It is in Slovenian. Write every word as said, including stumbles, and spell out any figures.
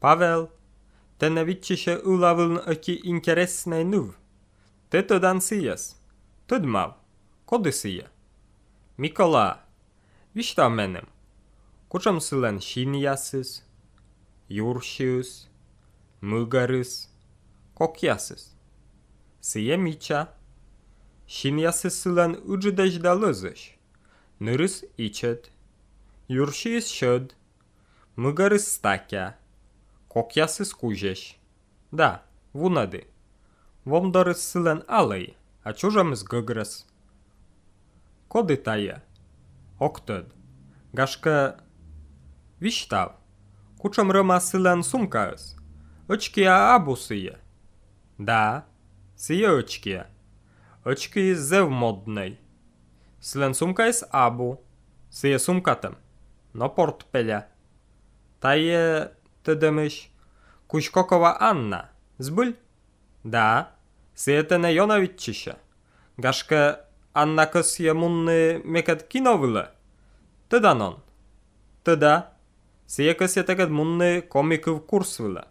Pavel, te ne vitčiše ulavln öki interesnej nuv. Te to dan sijas. Tăd mav. Kody sija? Mikola, višta menem. Kučam silen šinjasis, juršius, măgaris, kokjasis. Sija miča. Šinjasis silen uđideš da lăzăš. Năris icet. Juršius šăd. Măgaris stakja. Kokjasis kužeš. Da, vunadi. Vom doris silen alej, a čužamis găgras. Kody taje? Oktăd. Gașcă... Viștav. Kučam răma silen sumkaës. Õčkia abu sije. Da, sije õčkia. Õčki zev modnej. Silen sumkaës abu. Sije sumkatem. No portpeля. Taje, te dămăș, Kușkokova Anna. Zbyl? Da, sije te ne Jona vitčiše. Gașcă Anna kăs je munny meket kinovile. Tăda non. Tăda, sije kăs je teget munny komikov kursvile.